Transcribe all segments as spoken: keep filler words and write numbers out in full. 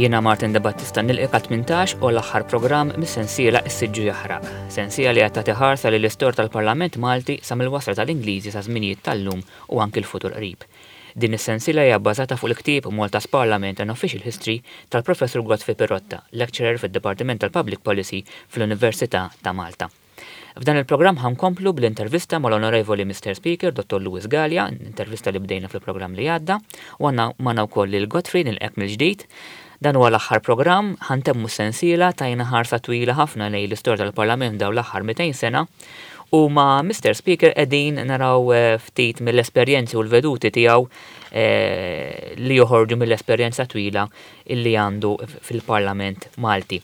Jiena Martin De Battista nilqgħek għat-tmintax u l-aħħar programm mis-sensiela Is-Siġġu Jaħraq. Sensiela li qed tagħti ħarsa lil istorja tal-Parlament Malti sa mill-wasla tal-Ingliżi sa żminijiet tal-lum u anki l-futur qrib. Din is-sensiela hija bbażata fuq il-ktieb Malta's Parliament and Official History tal-Professur Godfrey Pirotta, lecturer fid-Dipartiment tal-Public Policy fl-Università ta' Malta. F'dan il-programm ħa nkomplu bl-intervista mal-Onorevoli Mister Speaker Dottor Louis Galea, intervista li bdejna fil-programm li għadda, u għandna magħna wkoll lil Godfrey, nilqgħek mill-ġdid. Dan huwa l-aħħar programm, ħa ntemmu sensiela, tajna ħarsa twila ħafna lejn l-istorja tal-Parlament dawn l-aħħar mitejn sena. U ma' Mister Speaker qegħdin naraw eh, ftit mill-esperjenzi u l-veduti tiegħu eh, li joħorġu mill-esperjenza twila illi għandu fil-Parlament Malti.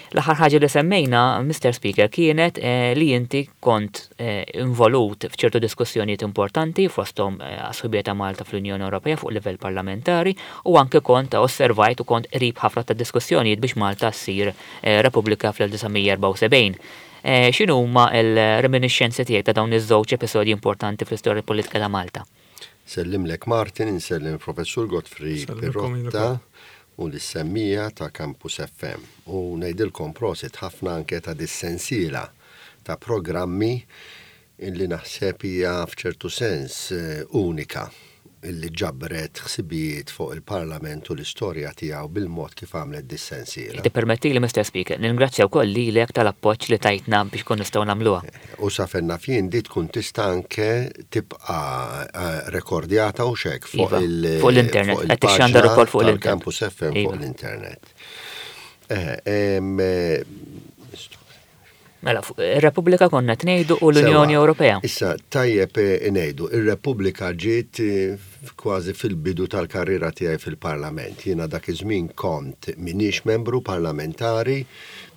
L-aħħar ħaġa li semmejna, Mister Speaker, kienet eh, li inti kont eh, involut f'ċertu diskussjonijiet importanti fosthom eh, għas-sħubija ta' Malta fl-Unjoni Ewropea fuq livell parlamentari u anke kont osservajt u kont qrib ħafna ta' diskussjonijiet biex Malta ssir eh, Repubblika fl-elf disa' mija erbgħa u sebgħin. Eh, X'inhu huma l-reminiscenzi tiegħek ta' dawn iż-żewġ episodji importanti fl-istorja politika ta' Malta? Insellimlek Martin, insellem Professur Godfrey Insellimkom. Pirotta u lis-semmiegħa ta' Campus F M. U ngħidilkom prosit ħafna anke ta' dis-sensiela ta' programmi illi naħseb hija f'ċertu sens eh, unika, illi ġabret ħsibijiet fuq il-Parlament u l-istorja tiegħu bil-mod kif għamlet dis-sensiela. Tippermetti li, Mister Speaker, ningrazzja wkoll lilek tal-appoġġ li tajtna biex kun nistgħu nagħmluha. U sa fejn naf jien di tkun tista' anke tibqa' eh, rekordjata u xek fuq Iva, il- fuq l-internet. Fuq Qed tixxandar il-paġna ukoll fuq l-internet. tal-Campus F M fuq Iva. l-internet. Eh, em, eh, Mela, fuq ir-Repubblika konna ngħidu u l-Unjoni Sewa. Ewropea. Issa, tajjeb eh, ngħidu, ir-Repubblika ġiet eh, kważi fil-bidu tal-karriera tiegħi fil-Parlament. Jiena dak iż-żmien kont minix membru parlamentari,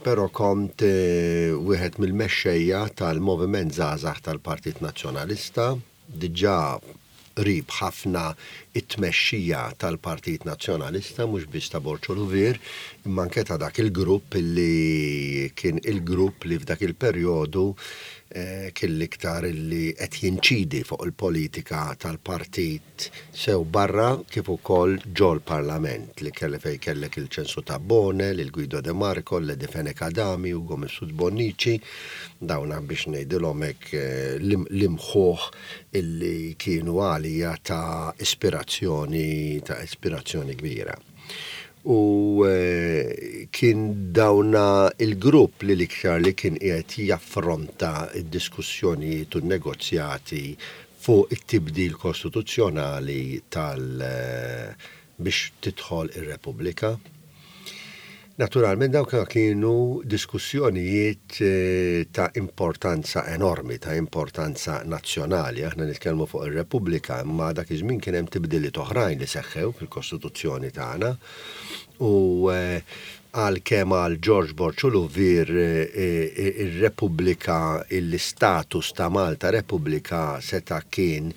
però kont eh, wieħed mill-mexxejja tal-Moviment Żgħażagħ tal-Partit Nazzjonalista, diġà qrib ħafna it-tmexxija tal-Partit Nazzjonalista, mhux biss ta' Borg Olivier, imma anke ta' dak il-grupp illi kien il-grupp li f'dak il-perjodu eh, kien l-iktar illi qed jinċidi fuq il-politika tal-partit sew barra kif ukoll ġol-parlament, li kelli fej kellek il-Ċensu Tabone, il-Guido De Marco, l-Eddie Fenech Adami, Ugo Mifsud Bonnici, dawna biex ngħidilhom hekk eh, l- l-imħuħ illi kienu għalija ta' ispirazzjoni ta' ispirazzjoni kbira. U eh, kien dawna il-grupp li l-iktar li kien qiegħed jaffronta id-diskussjonijiet u n-negozjati fuq it-tibdil kostituzzjonali tal eh, biex tidħol ir-Repubblika. Naturalment dawk kienu diskussjonijiet eh, ta' importanza enormi, ta' importanza nazzjonali. Aħna nitkellmu fuq ir-Repubblika, imma dak iż-żmien kien hemm tibdiliet oħrajn li seħħew fil-Kostituzzjoni tagħna. U eh, għalkemm għal George Borg Olivier eh, ir-Repubblika, l-istatus ta' Malta Repubblika seta' kien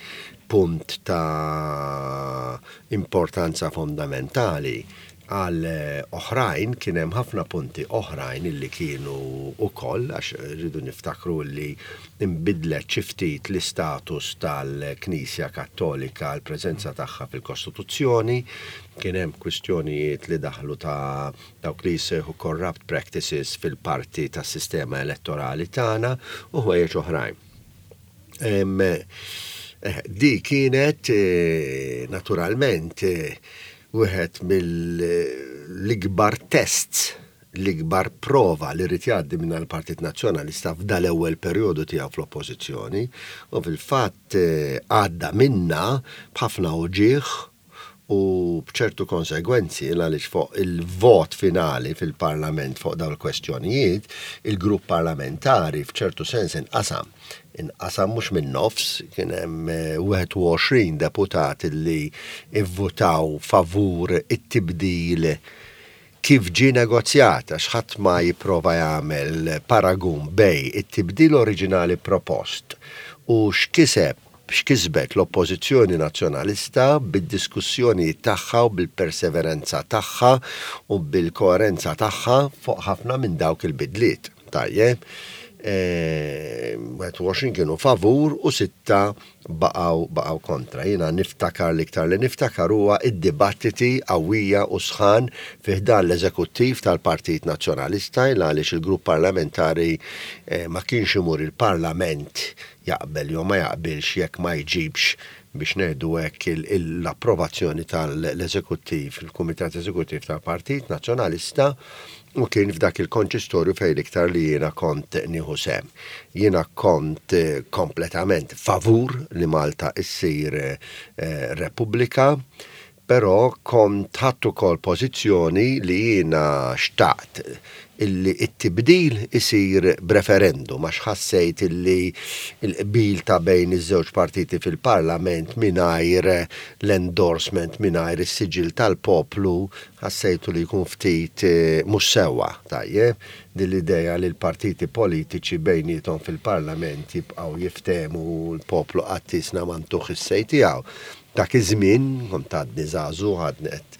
punt ta' importanza fondamentali, għal eh, oħrajn kien hemm ħafna punti oħrajn illi kienu ukoll, għax rridu niftakru li imbidlet xi ftit l-istatus tal-Knisja Kattolika, l-preżenza tagħha fil-Kostituzzjoni, kien hemm kwistjonijiet li daħlu ta' dawk li jsejħu corrupt practices fil-parti tas-sistema elettorali tagħna u ħwejjeġ oħrajn. Em, eh, Di kienet eh, naturalment eh, wieħed mill-ikbar tests, l-ikbar prova li rrid jgħaddi minn l-Partit Nazzjonalista f'dal-ewwel perjodu tiegħu fl-Oppożizzjoni, u fil-fatt eh, għadda minna b'ħafna uġigħ u b'ċertu konsegwenzi, għaliex fuq il-vot finali fil-Parlament fuq dawn il-kwestjonijiet, il-grupp parlamentari f'ċertu sens inqasam. Inqasam mhux minn nofs, kien hemm eh, wieħed u għoxrin deputat li ivvutaw favur it-tibdil kif ġi negozjat, għax ħadd ma jipprova jagħmel paragun bejn it-tibdil oriġinali propost u x'kiseb x'kisbet l-Oppożizzjoni Nazzjonalista bid-diskussjoni tagħha u bil-perseveranza tagħha u bil-koerenza tagħha fuq ħafna minn dawk il-bidliet. Tajjeb. wieħed u għoxrin kienu favur u sitta baqgħu baqgħu kontra. Jiena niftakar, l-iktar li niftakar huwa id-dibattiti qawwija u sħan fi ħdan l-eżekuttiv tal-Partit Nazzjonalista, għaliex il-grupp parlamentari eh, ma kienx imur il-Parlament jaqbel jew ma jaqbilx jekk ma jġibx, biex ngħidu hekk, l-approvazzjoni tal-eżekuttiv, il-Kumitat Eżekuttiv tal-Partit Nazzjonalista, u kien f'dak il-konċistorju fejn iktar li jiena kont nieħu sehem. Jiena kont eh, kompletament favur li Malta issir eh, Repubblika, però kont ħadt ukoll pożizzjoni li jiena xtaqt illi it-tibdil isir b'referendum, għax ħassejt illi il-qbil ta' bejn iż-żewġ partiti fil-parlament mingħajr l-endorsement, mingħajr is-siġil tal-poplu, ħassejtu li jkun ftit eh, mhux sewwa. Tajjeb, din l-idea li l-partiti politiċi bejniethom fil-parlament jibqgħu jiftehmu, l-poplu qatt isna ma ntuh is-say tiegħu. Dak iż-żmien kont għadni żagħżugħ, għadni qed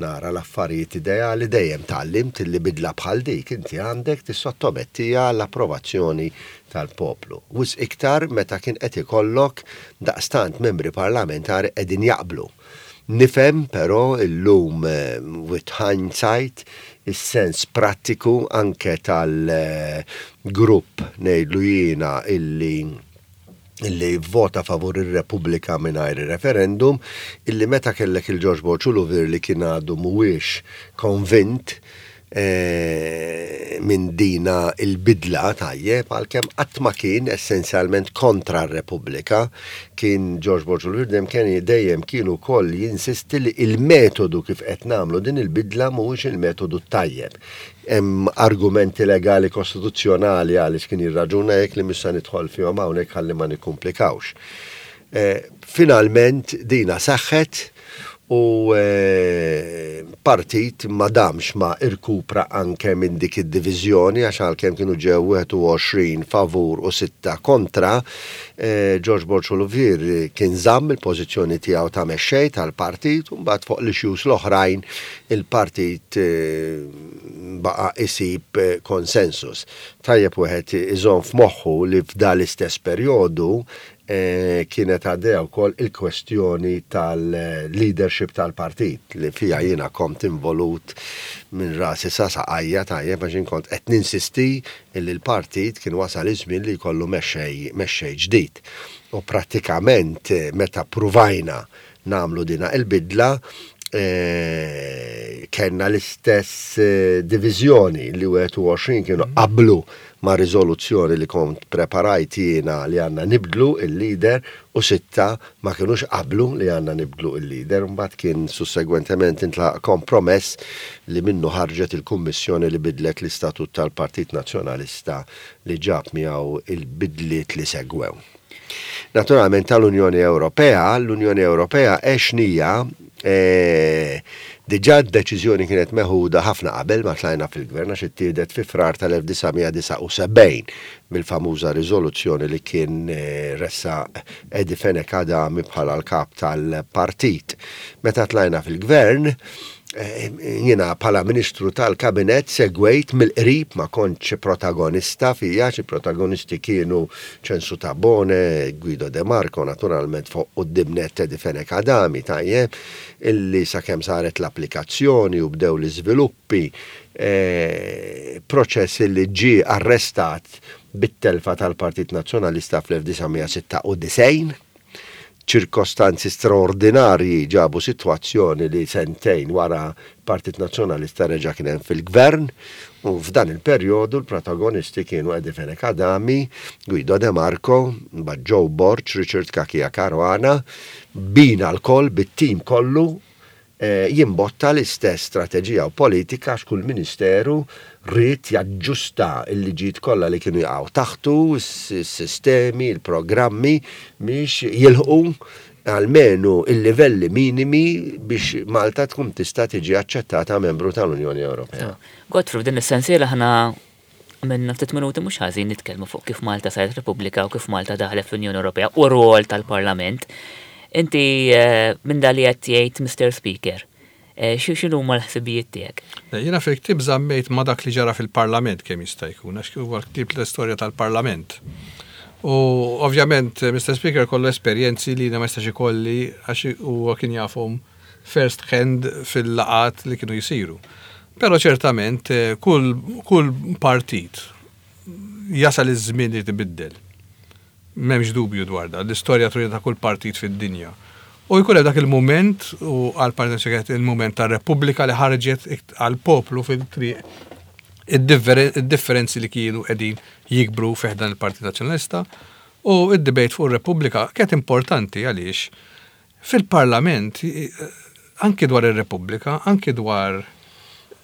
nara l-affarijiet ideali. Dejjem tgħallimt li bidla bħal dik inti għandek tissottomettija l-approvazzjoni tal-poplu. Wisq iktar meta kien qed ikollok daqstant membri parlamentari qegħdin jaqblu. Nifhem però illum, eh, with hindsight, is-sens prattiku anke tal-grupp, ngħidlu jiena, illi illi vota favur ir-Repubblika mingħajr il-referendum, illi meta kellek il-Ġorġ Borg Olivier li kien għadu mhuwiex konvint eh, minn dina il-bidla, tajjeb, għalkemm qatt ma kien essenzjalment kontra r-Repubblika, kien Ġorġ Borg Olivier dejjem kien dejjem kien ukoll jinsisti li il-metodu kif qed nagħmlu din il-bidla mhuwiex il-metodu tajjeb. Hemm argumenti legali kostituzzjonali għaliex kien jirraġuna hekk li mhux se nidħol fihom hawnhekk ħalli ma nikkumplikawx. Eh, finalment dina saħħet u eh, partit ma damx ma irkupra anke minn dik id-diviżjoni, għax għalkemm kienu ġew wieħed u għoxrin favur u sitta kontra, eh, George Borg Olivier kien żamm il-pożizzjoni tiegħu ta' mexxej tal-partit, u mbagħad fuq l-issues l-oħrajn il-partit eh, baqa' isib eh, konsensus. Tajjeb wieħed iżomm f'moħħu li f'dal istess perjodu eh, kienet għaddejja wkoll il-kwestjoni tal-leadership tal-partit li fija jiena kont involut minn rasi sa saqajja, tajjeb, għax kont qed ninsisti li l-partit kien wasal iż-żmien li jkollu mexxej mexxej ġdid. U prattikament eh, meta pruvajna nagħmlu dina il-bidla, eh, kellna l-istess eh, diviżjoni li wieħed u għoxrin kienu qablu ma' riżoluzzjoni li kont preparajt jiena li għandna nibdlu il-leader u sitta ma kienux qablu li għandna nibdlu il-leader. Mbagħad kien sussegwentement intlaħaq kompromess li minnu ħarġet il-kummissjoni li bidlet l-istatut tal-Partit Nazzjonalista, li ġab miegħu il-bidliet li segwew. Naturalment tal-Unjoni Ewropea, l-Unjoni Ewropea għexnieha eh, diġà, d-deċiżjoni kienet meħuda ħafna qabel ma tlajna fil-gvern, għax ittieħdet fi Frar tal-elf disa' mija disgħa u sebgħin bil-famuża riżoluzzjoni li kien eh, ressaq Eddie Fenech Adami bħala l-kap tal-partit. Meta tlajna fil-gvern, eh, jiena bħala ministru tal-kabinet segwejt mill-qrib, ma kontx protagonista fija, xi protagonisti kienu Ċensu Tabone, Guido De Marco, naturalment fuq quddiem nett Eddie Fenech Adami, tajjeb, illi sakemm saret l-applikazzjoni u bdew l-iżviluppi, eh, proċess illi ġie arrestat bit-telfa tal-Partit Nazzjonalista fl-elf disa' mija sitta u disgħin. Ċirkostanzi straordinarji ġabu situazzjoni li sentejn wara Partit Nazzjonalista reġa' kien hemm fil-gvern, u f'dan il-perjodu l-protagonisti kienu Eddie Fenech Adami, Guido De Marco, mbagħad Joe Borg, Richard Cachia Caruana, bina lkoll bit-tim kollu eh, jimbotta l-istess strateġija u politika, għax kull ministeru ried jaġġusta il-liġijiet kollha li kienu jaqgħu taħtu, s-sistemi, il-programmi biex jilħqu almenu il-livelli minimi biex Malta tkun tista' tiġi aċċettata membru tal-Unjoni Ewropea. Godfrey, f'din is-sensiela ħana minna ftit minuti mhux ħażin nitkellmu fuq kif Malta saret Repubblika u kif Malta daħlet fl-Unjoni Ewropea u r-rwol tal-Parlament. Inti eh, minn dak li qed jgħid Mister Speaker, Eh, x'inhuma l-ħsibijiet tiegħek? Jiena fil-ktieb żammejt ma' dak li ġara fil-Parlament kemm jista' jkun, għax huwa ktieb l-istorja tal-Parlament. U ovvjament, Mister Speaker kollu esperjenzi li ma jistax ikolli, għax huwa kien jafhom first hand fil-laqgħat li kienu jisiru. Però ċertament eh, kull, kull partit jasal iż-żmien li tibiddel. M'hemmx dubju dwar da, l-istorja turi ta' kull partit fid-dinja. U jkun hemm dak il-moment, u għal-Partit kienet il-moment tar-Repubblika li ħarġet għal-poplu fil-triq id-differenzi li kienu qegħdin jikbru fi ħdan il-Partit Nazzjonalista, u id-debate fuq ir-Repubblika kienet importanti għaliex fil-Parlament anki dwar ir-Repubblika, anki dwar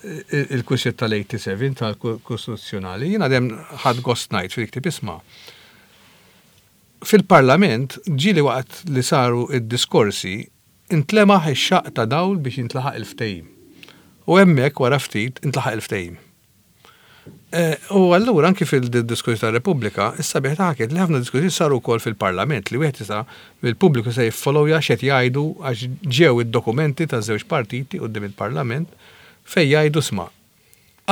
il-kwistjoni tal-sebgħa u tmenin tal-Kostituzzjonali, jiena dejjem ħadt gost ngħid fil-ktieb, isma', fil-Parlament ġieli waqt li saru id-diskorsi intlemaħ ix-xaqq ta' dawl biex jintlaħaq il-ftehim. U hemmhekk wara ftit intlaħaq il-ftehim. Eh, u allura anki fil-diskorsi ta' Repubblika, issa biħ taħket li ħafna diskorsi saru wkoll fil-Parlament li wieħed jista' il-pubbliku se jiffollowja x'qed jgħidu, għax ġew id-dokumenti ta' żewġ partiti quddiem il-Parlament fejn jgħidu, isma',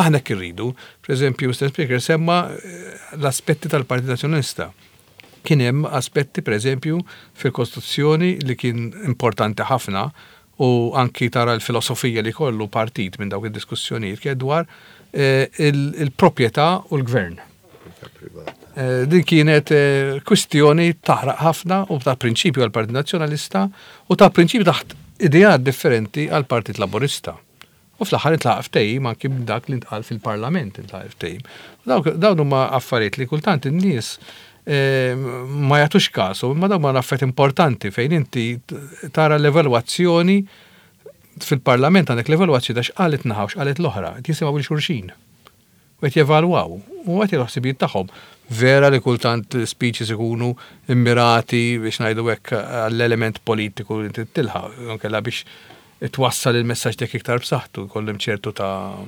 aħna irridu. Per eżempju, Mister Speaker semma eh, l-aspetti tal-Partit Nazzjonalista. Kien hemm aspetti, per eżempju, fil-Kostituzzjoni li kien importanti ħafna, u anki tara l-filosofija li kollu partit minn dawk id-diskussjonijiet, kien dwar eh, il-proprjetà u l-gvern. Eh, din kienet eh, kwistjoni taħraq ħafna u ta' prinċipju għal-Partit Nazzjonalista u ta' prinċipju taħt ideat differenti għal-Partit Laburista. U fl-aħħar intlaħaq ftehim anki dak li ntqal fil-Parlament, intlaħaq ftehim. Dawn huma affarijiet li kultant in-nies ma jagħtux kasu, imma dawn huma affarijiet importanti fejn inti tara l-evalwazzjoni fil-Parlament, għandek l-evalwazzjoni ta' x'qalet naħa u x'qalet l-oħra, jisimgħu lil xulxin. U qed jevalwaw, u qed il-ħsibijiet tagħhom. Vera li kultant speeches ikunu immirati biex ngħidu hekk għall-element politiku li inti tilħaq, inkella biex twassal il-messaġġ dik iktar b'saħħtu, jkollhom ċertu ta'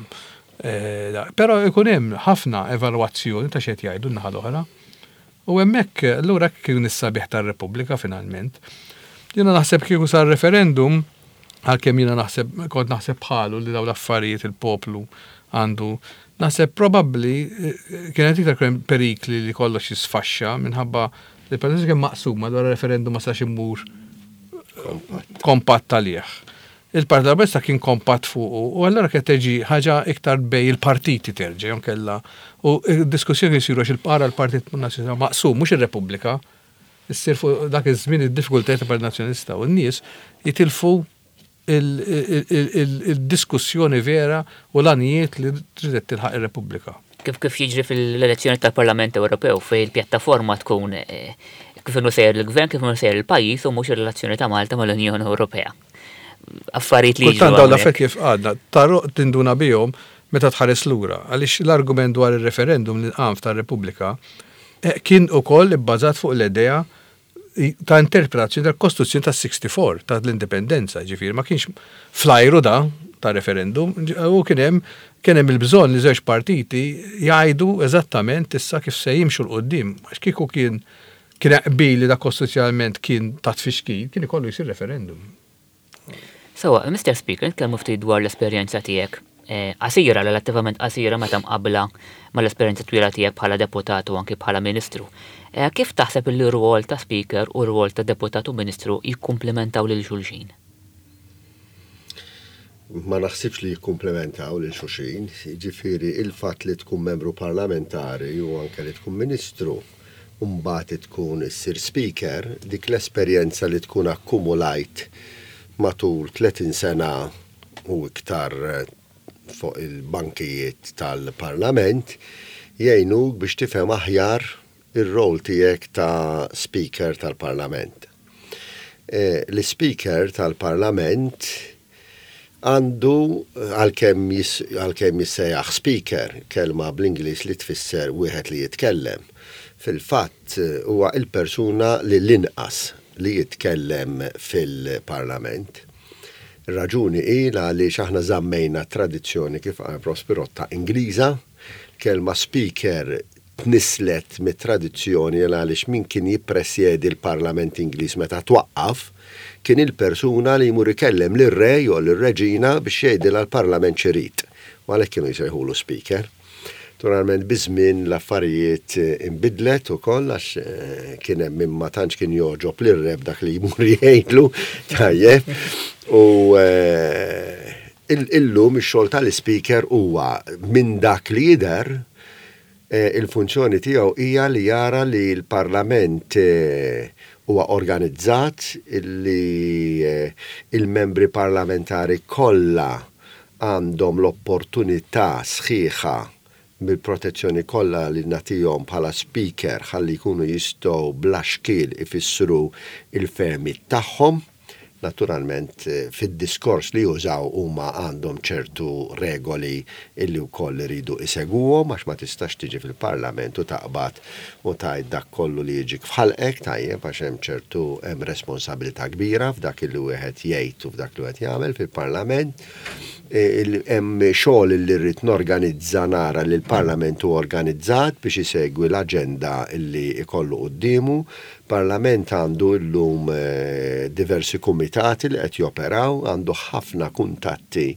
eh, Però ikun hemm ħafna evalwazzjoni ta' x'qed jgħidu n-naħa l-oħra. U hemmhekk allura kien is-sabiħ tar-Repubblika finalment. Jiena naħseb kieku sar referendum, għalkemm jiena naħseb kont naħseb bħalu li dawn l-affarijiet il-poplu għandu, naħseb probabbli eh, kienet iktar kien perikli li kollox jisfaxxa minħabba li l kien maqsum dwar referendum, ma sax immur kompatt għalih. Il-Partit Laburista kien kompatt fuq u allura kienet teġi ħaġa iktar bejn il-partiti terġa' kella u diskussjoni jsiru għax il-para l-Partit Nazzjonalista maqsum, mhux ir-Repubblika, issir fuq dak iż-żmien id-diffikultajiet tal-Partit Nazzjonalista u n-nies jitilfu il-diskussjoni vera u l-għanijiet li tridet tilħaq ir-Repubblika. Kif kif jiġri fil-elezzjoni tal-Parlament Ewropew, fejn il-pjattaforma tkun eh, kif inhu sejjer il-gvern, kif inhu sejjer il-pajjiż u mhux ir-relazzjoni ta' Malta mal-Unjoni Ewropea. Affarijiet li Kultant dawn l-affarijiet, kif għadna, taru tinduna bihom meta tħares lura, għaliex l-argument dwar il-referendum li qam tar-Repubblika eh, kien ukoll ibbażat fuq l-idea ta' interpretazzjoni tal-Kostituzzjoni ta' sittaħux u sittaħx ta' l-indipendenza, ġifieri ma kienx flajru da ta' referendum, u kien hemm kien hemm il-bżonn li żewġ partiti jgħidu eżattament issa kif se jimxu 'l quddiem, għax kieku kien kien qbil li da kostituzzjonalment kien ta' tfixkil, kien ikollu jsir referendum. Sewwa, Mister Speaker, nitkellmu ftit dwar l-esperjenza tiegħek eh, qasira, relattivament qasira meta mqabbla mal-esperjenza twila tiegħek bħala deputat u anki bħala ministru. Eh, kif taħseb li r-rwol ta' speaker u r-rwol ta' deputat u ministru jikkumplementaw lil xulxin? Ma naħsibx li jikkumplementaw lil xulxin, ġifieri il-fatt li tkun membru parlamentari u anke li tkun ministru u mbagħad tkun issir speaker, dik l-esperjenza li tkun akkumulajt matul tletin sena u iktar fuq il-bankijiet tal-Parlament jgħinuk biex tifhem aħjar ir-rol tiegħek ta' speaker tal-Parlament. E, L-speaker tal-Parlament għandu, għalkemm għalkemm jissejjaħ speaker, kelma bl-Ingliż li tfisser wieħed li jitkellem, fil-fatt huwa il-persuna li l-inqas li jitkellem fil-Parlament. Raġuni hi għaliex aħna żammejna tradizzjoni, kif qal Prof Pirotta, Ingliża, kelma speaker Tnisslet mit-tradizzjoni għaliex min kien jippresjedi l-Parlament Ingliż meta twaqqaf kien il-persuna li jmur ikellem lir-re jew lir-reġina biex jgħidilha l-Parlament x'irid. U għalhekk kienu jsejħulu speaker. Naturalment, biż-żmien l-affarijiet inbidlet ukoll għax eh, kien hemm min ma tantx kien jogħġob lir-re b'dak li jmur jgħidlu, tajjeb. U eh, illum ix-xogħol tal-speaker huwa, minn dak li jidher, eh, il-funzjoni tiegħu hija li jara li l-Parlament huwa organizzat, li il-membri parlamentari kollha għandhom l-opportunità sħiħa bil-protezzjoni kollha li nagħtihom bħala speaker ħalli jkunu jistgħu bla xkiel ifissru il-fehmiet tagħhom. Naturalment, eh, fid-diskors li jużaw huma għandhom ċertu regoli illi wkoll iridu isegwuhom, għax ma tistax tiġi fil-Parlament u taqbad u tgħid dak kollu li jiġik f'ħalqek, tajjeb, għax hemm ċertu hemm responsabilità kbira f'dak li wieħed jgħid u f'dak li wieħed jagħmel fil-Parlament. E, hemm xogħol li rrid norganizza, nara li l-Parlament hu organizzat biex isegwi l-aġenda li ikollu quddiemu. Parlament għandu llum eh, diversi kumitati li qed joperaw, għandu ħafna kuntatti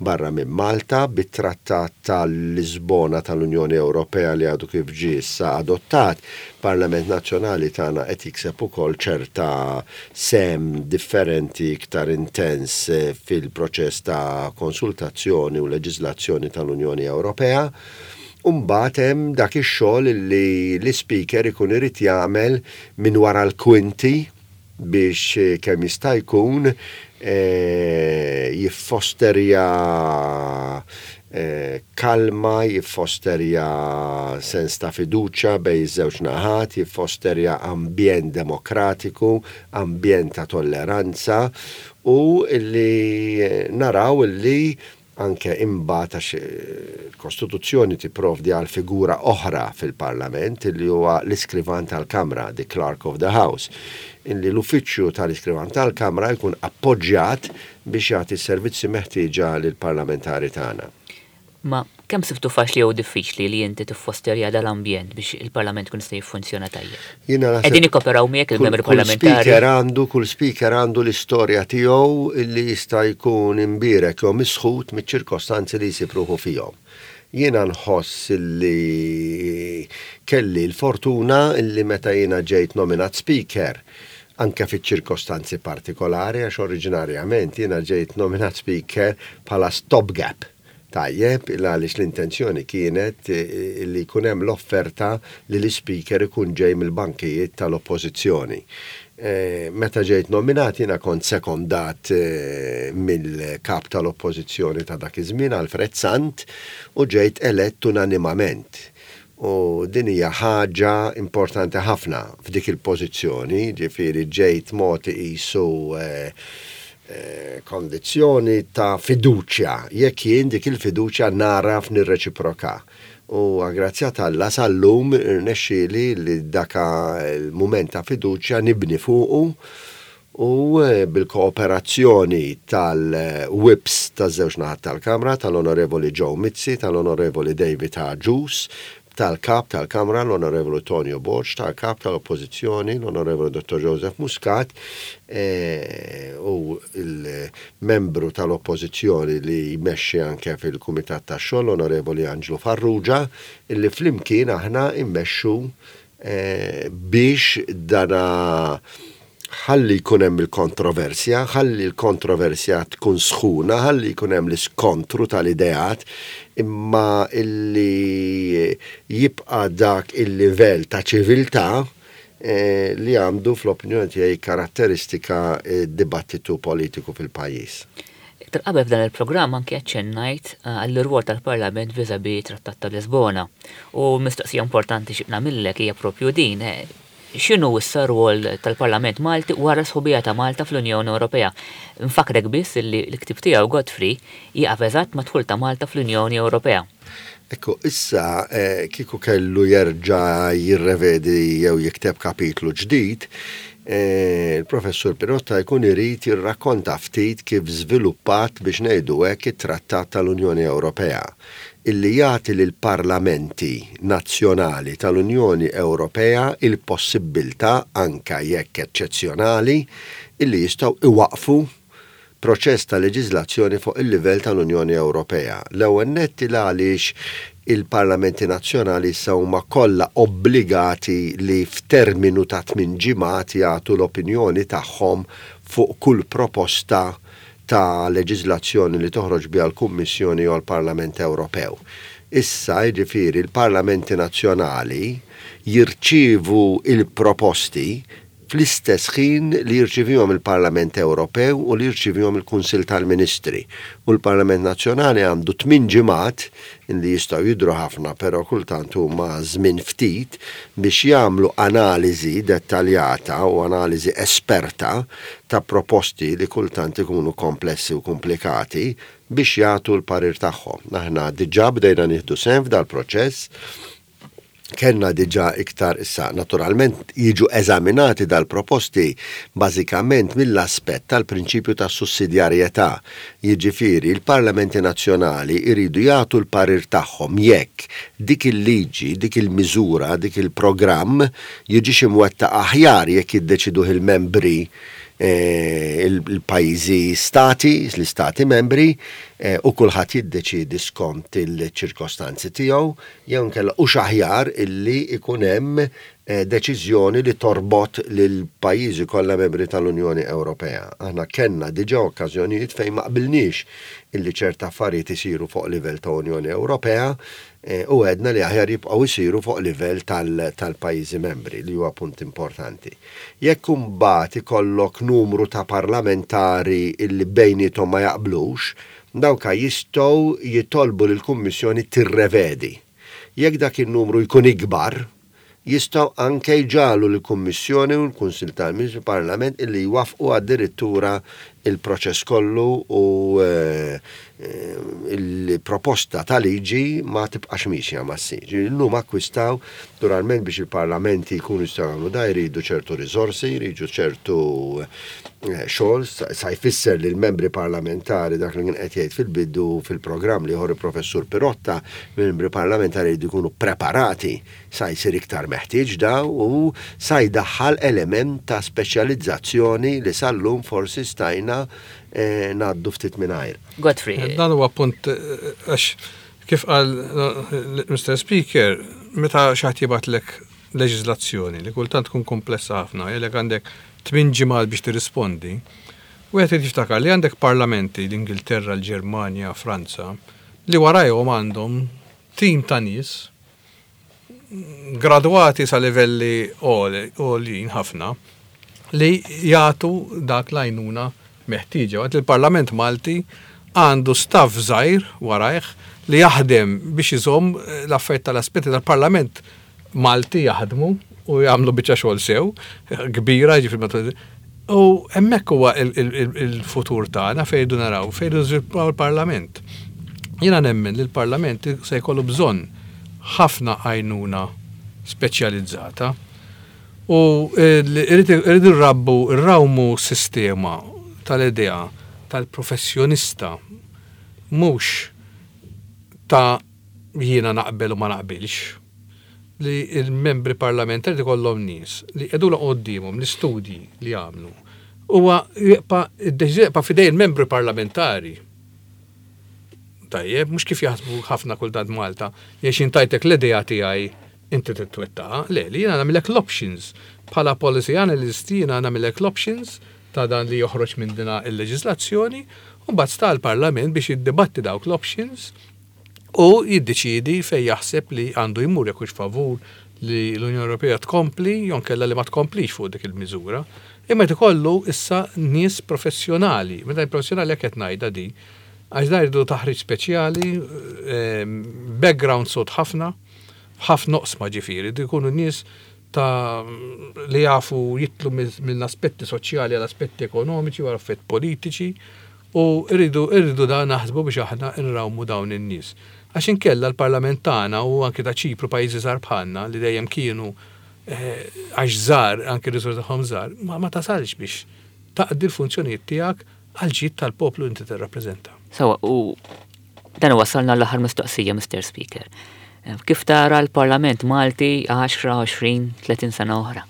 barra minn Malta bit-Trattat tal-Lisbona tal-Unjoni Ewropea li għadu kif ġie issa adottat. Parlament Nazzjonali tagħna qed jikseb ukoll ċerta sehem differenti, iktar intens, eh, fil-proċess ta' konsultazzjoni u leġiżlazzjoni tal-Unjoni Ewropea. Umbagħad hemm dak ix-xogħol li l-speaker ikun irid jagħmel minn wara l-kwinti biex eh, kemm jista' jkun eh, jiffosterja eh, kalma, jiffosterja sens ta' fiduċja bejn iż-żewġ naħat, jiffosterja ambjent demokratiku, ambjent ta' tolleranza u li naraw li anke imbagħad, għax il-Kostituzzjoni tipprovdi għal figura oħra fil-Parlament li huwa l-iskrivan tal-Kamra, the Clerk of the House, illi l-uffiċċju tal-iskrivan tal-Kamra jkun appoġġjat biex jagħti s-servizzi meħtieġa lill-parlamentari tagħna. Ma kemm sibtu faċli jew diffiċli li inti tiffosterja dal-ambjent biex il-Parlament kun jista' jiffunzjona tajjeb? Jiena naħseb Qegħdin ikkoperaw miegħek il-membri kull parlamentari? speaker għandu kull speaker għandu l-istorja tiegħu illi jista' jkun imbierek jew misħut miċ-ċirkostanzi li jsib ruħu fihom. Jiena nħoss li kelli l-fortuna illi meta jiena ġejt nominat speaker, anke fiċ-ċirkostanzi partikolari, għax oriġinarjament jiena ġejt nominat speaker bħala stopgap. Tajjeb, għaliex l-intenzjoni kienet eh, li jkun hemm l-offerta li l-speaker ikun ġej mill-bankijiet tal-oppożizzjoni. Eh, meta ġejt nominat, jiena kont sekondat eh, mill-kap tal-oppożizzjoni ta' dak iż-żmien, Alfred Sant, u ġejt elett unanimament. U din hija ħaġa importanti ħafna f'dik il-pożizzjoni, ġifieri ġejt mogħti qisu eh, eh, kondizzjoni ta' fiduċja, jekk jien dik il-fiduċja naraf nirreċiproka. U grazzja t'Alla sal-lum irnexxieli li daka il-mument ta' fiduċja nibni fuqu u eh, bil-kooperazzjoni tal-whips taż-żewġ naħat tal-Kamra, tal-Onorevoli Joe Mizzi, tal-Onorevoli David Agius, tal-kap tal-Kamra, l-Onorevoli Tonio Borg, tal-kap tal-Oppożizzjoni, l-Onorevoli Dottor Joseph Muscat, eh, u il-membru tal-Oppożizzjoni li jmexxi anke fil-Kumitat tax-Xogħol, l-Onorevoli Angelo Farrugia, illi flimkien aħna immexxu eh, biex dana ħalli jkun hemm il-kontroversja, ħalli l-kontroversja tkun sħuna, ħalli jkun hemm l-iskontru tal-ideat, imma illi jibqa' dak il-livell ta' ċiviltà eh, li għandu, fl-opinjoni tiegħi, karatteristika eh, dibattitu politiku fil-pajjiż. Iktar qabel f'dan il-programm anke aċċennajt eh, għall-irwol tal-Parlament vis-à-vis Trattat ta' Lisbona. U mistoqsija importanti xi nagħmillek hija propju din. eh, X'inhu issa r-rwol tal-Parlament Malti wara sħubija ta' Malta fl-Unjoni Ewropea? Nfakrek biss li l-ktib tiegħu Godfrey jieqaf eżatt mad-dħul ta' Malta fl-Unjoni Ewropea. Ekku, issa eh, kieku kellu jerġa' jirrevedi jew jikteb kapitlu ġdid, Il-Professur Pirotta jkun irid jirrakkonta ftit kif żviluppat, biex ngħidu hekk, it-Trattat tal-Unjoni Ewropea illi jagħti lil parlamenti nazzjonali tal-Unjoni Ewropea il-possibilità, anka jekk eċċezzjonali, illi jistgħu iwaqfu proċess ta' leġiżlazzjoni fuq il-livell tal-Unjoni Ewropea. L-ewwel nett għaliex il-parlamenti nazzjonali issa huma kollha obbligati li f'terminu ta' tmien ġimgħat jagħtu l-opinjoni tagħhom fuq kull proposta ta' leġiżlazzjoni li toħroġ biha l-Kummissjoni u l-Parlament Ewropew. Issa, jiġifieri, il-parlamenti nazzjonali jirċievu il-proposti fl-istess ħin li jirċivihom il-Parlament Ewropew u li jirċivihom il-Kunsill tal-Ministri. U l-Parlament Nazzjonali għandu tmien ġimgħat, li jistgħu jidru ħafna, però kultant huma żmien ftit, biex jagħmlu analiżi dettaljata u analiżi esperta ta' proposti li kultant ikunu komplessi u komplikati biex jagħtu l-parir tagħhom. Aħna diġà bdejna nieħdu sehem f'dal-proċess, kellna diġà iktar. Issa, naturalment, jiġu eżaminati dal-proposti bażikament mill-aspett tal-prinċipju ta' sussidjarjetà. Jiġifieri il-parlamenti nazzjonali jridu jagħtu l-parir tagħhom jekk dik il-liġi, dik il-miżura, dik il-programm jiġix imwettaq aħjar jekk jiddeċiduh il-membri, eh, il-pajjiżi stati, l-istati membri, eh, u kulħadd jiddeċidi skont il-ċirkostanzi tiegħu, jew inkella hux aħjar illi ikun hemm eh, deċiżjoni li torbot lil pajjiżi kollha membri tal-Unjoni Ewropea. Aħna kellna diġà okkażjonijiet fejn ma qbilniex illi ċerta affarijiet isiru fuq livell ta' Unjoni Ewropea eh, u għedna li aħjar jibqgħu isiru fuq livell tal-pajjiżi membri, li huwa punt importanti. Jekk imbagħad ikollok numru ta' parlamentari illi bejniethom ma jaqblux, dawka jistgħu jitolbu lill-Kummissjoni tirrevedi. Jekk dak il-numru jkun ikbar, jistgħu anke jġagħlu l-Kummissjoni u l-Kunsil tal-Ministri, Parlament, illi jwaffqu addirittura il-proċess kollu u eh, eh, il-proposta ta' liġi ma tibqax miexja ma ssir. Illum akkwistaw, naturalment, biex il-parlamenti jkunu jistgħu jagħmlu da jridu ċertu riżorsi, jridu ċertu eh, xogħol, sa jfisser li l-membri parlamentari, dak li kien qed jgħid fil-bidu fil-programm li ħor il-Professur Pirotta, membri parlamentari jridu jkunu preparati, sa jsir iktar meħtieġ da u sa jdaħħal element ta' speċjalizzazzjoni li sal-lum forsi stajna eh, ngħaddu ftit mingħajr. Godfrey. Dan huwa punt eh, għax kif qal eh, Mister Speaker, meta xi ħadd jibgħatlek leġiżlazzjoni li kultant tkun komplessa ħafna, jgħidlek għandek tmien ġimgħat biex tirrispondi, wieħed irid jiftakar li għandek parlamenti, l-Ingilterra, l-Ġermanja, Franza, li warajhom għandhom tim ta' nies gradwati sa livelli għoljin ħafna li jagħtu dak l-għajnuna meħtieġa. Waqt il-Parlament Malti għandu staff żgħir warajh li jaħdem biex iżomm l-affarijiet tal-aspetti tal-Parlament Malti jaħdmu u jagħmlu biċċa xogħol sew kbira, ġifieri. U hemmhekk huwa il-futur tagħna fejn irridu naraw, fejn irridu niżviluppaw il-Parlament. Jiena nemmen li l-Parlament se jkollu bżonn ħafna għajnuna speċjalizzata u irridu nrabbu, nrawmu sistema tal-idea tal-professjonista, mhux ta' jiena naqbel u ma naqbilx, li il-membri parlamentari kollhom nies li jqegħdu quddiemhom l-istudji li jagħmlu. Huwa jibqa' id-deċiżjoni jibqa' f'idej il-membri parlamentari. Tajjeb, mhux kif jaħsbu ħafna kultant Malta, jiex intajtek l-idea tiegħi, inti titwettaqa, le, li jiena nagħmilek l-options. Bħala policy analyst jiena nagħmilek l-options ta' dan li joħroġ minn dina il-leġislazzjoni, u mbagħad sta l-Parlament biex jiddibatti dawk l-options u jiddeċidi fej jaħseb li għandu jmur, jekk hux favur li l-Unjoni Ewropea tkompli jew inkella li ma tkomplix fuq dik il-miżura. Imma ikollu issa nies professjonali, meta professjonali jekk qed ngħidha di, għax da jridu taħriġ speċjali, ehm, background sod ħafna, ħafna oqsma ġifieri, jkunu nies ta' li jafu jitlu minn aspetti soċjali għal aspetti ekonomiċi u affett politiċi u rridu rridu da naħsbu biex aħna nrawmu dawn in-nies. Għax inkella l-parlament tagħna u anke ta' Ċipru, pajjiżi żgħar bħalna li dejjem kienu għax żgħar, anke r-riżorsi tagħhom żgħar, ma, ma tasalx biex taqdi l-funzjonijiet tiegħek għal ġid tal-poplu inti tirrappreżenta. Sewwa, u dan wasalna l-aħħar mistoqsija, Mister Speaker. Kif tara l-Parlament Malti għaxra, għoxrin, tletin sena oħra?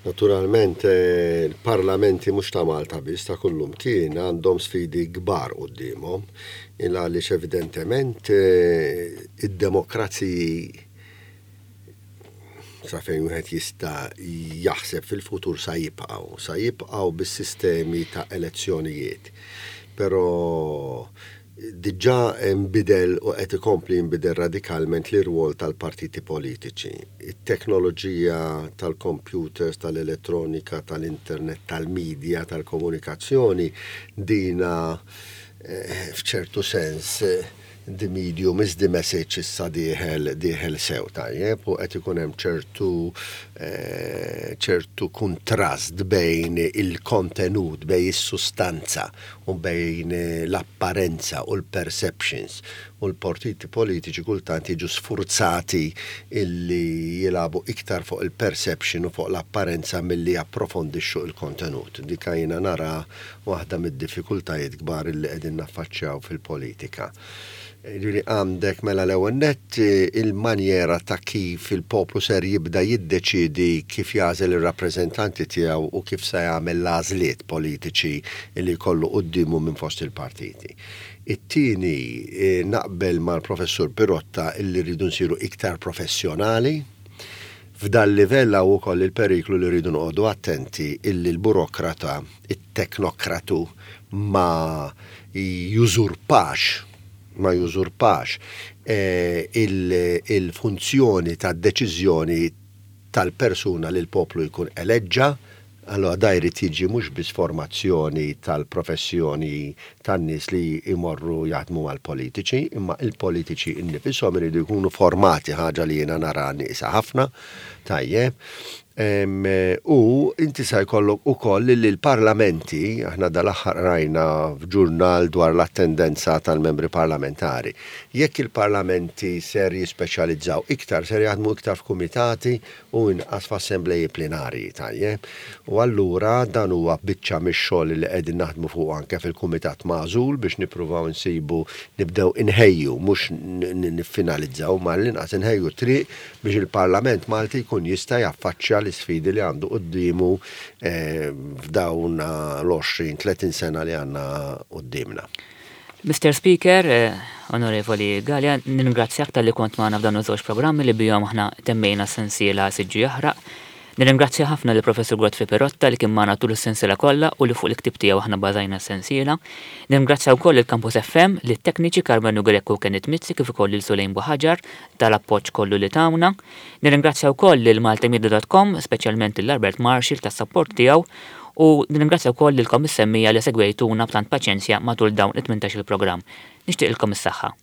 Naturalment, il-parlamenti mhux ta' Malta biss, ta' kullimkien għandhom sfidi kbar quddiemhom, għaliex evidentement id-demokraziji sa fejn wieħed jista' jaħseb fil-futur sa jibqgħu, sa jibqgħu bis-sistemi ta' elezzjonijiet. Però diġà nbidel u qed ikompli jinbidel radikalment l-irwol tal-partiti politiċi. It-teknoloġija tal-computers, tal-elettronika, tal-internet, tal-medja, tal-komunikazzjoni, dina f'ċertu sens the medium is the message issa dieħel dieħel sew, tajjeb, u qed ikun hemm ċertu ċertu kontrast bejn il-kontenut, bejn is-sustanza u bejn l-apparenza u l-perceptions. U l-partiti politiċi kultant jiġu sfurzati illi jilagħbu iktar fuq il-perception u fuq l-apparenza milli japprofondixxu il-kontenut. Dika jiena nara waħda mid-diffikultajiet kbar illi qegħdin naffaċċjaw fil-politika. Ġifieri għandek mela l-ewwel nett il-manjera ta' kif il-poplu ser jibda jiddeċidi kif jagħżel ir-rappreżentanti tiegħu u kif se jagħmel l-għażliet politiċi li jkollu quddiemu minn fost il-partiti. It-tieni, naqbel mal-Professur Pirotta illi rridu nsiru iktar professjonali. F'dal livell hawn ukoll il-periklu li rridu noqogħdu attenti illi l-burokrata, it-teknokratu ma jużurpax ma jużurpax il-funzjoni ta' deċiżjoni tal-persuna li l-poplu jkun eleġġa. Allora da jrid jiġi mhux biss formazzjoni tal-professjoni tan-nies li jmorru jaħdmu mal-politiċi, imma il-politiċi innifisom iridu jkunu formati, ħaġa li jiena nara nieqsa ħafna, tajjeb. U inti sa jkollok ukoll li l-parlamenti, aħna dal-aħħar rajna f'ġurnal dwar l-attendenza tal-membri parlamentari. Jekk il-parlamenti ser jispeċjalizzaw iktar, ser jaħdmu iktar f'kumitati u inqas f'assembleji plenarji, tajjeb. U allura dan huwa biċċa mix-xogħol li qegħdin naħdmu fuq anke fil-kumitat magħżul biex nippruvaw insibu, nibdew inħejju, mhux niffinalizzaw, ma l-inqas inħejju triq biex il-Parlament Malti jkun jista' jaffaċċja l-isfidi li għandu quddiemu f'dawn l-għoxrin, tletin sena li għandna quddiemna. Mister Speaker, Onorevoli Galea, ningrazzjak talli kont magħna f'dawn iż-żewġ programmi li bihom aħna temmejna sensiela Siġġu Jaħraq. Nirringrazzja ħafna lill Professur Godfrey Pirotta li kien magħna tul is-sensiela kollha u li fuq il-ktib tiegħu aħna bażajna s-sensiela. Nirringrazzja wkoll il-Campus F M, lit-tekniċi Carmenu Greco u Kenneth Mizzi, kif ukoll lil Sulejn Buħaġar tal-appoġġ kollu li tawna. Nirringrazzja wkoll lil maltamedia dot com, speċjalment lil Albert Marshall tas-sapport tiegħu, u nirringrazzja wkoll lilkom is-semmija li segwejtuna b'tant paċenzja matul dawn it-tmintax il-programm. Nixtieqilkom is-saħħa.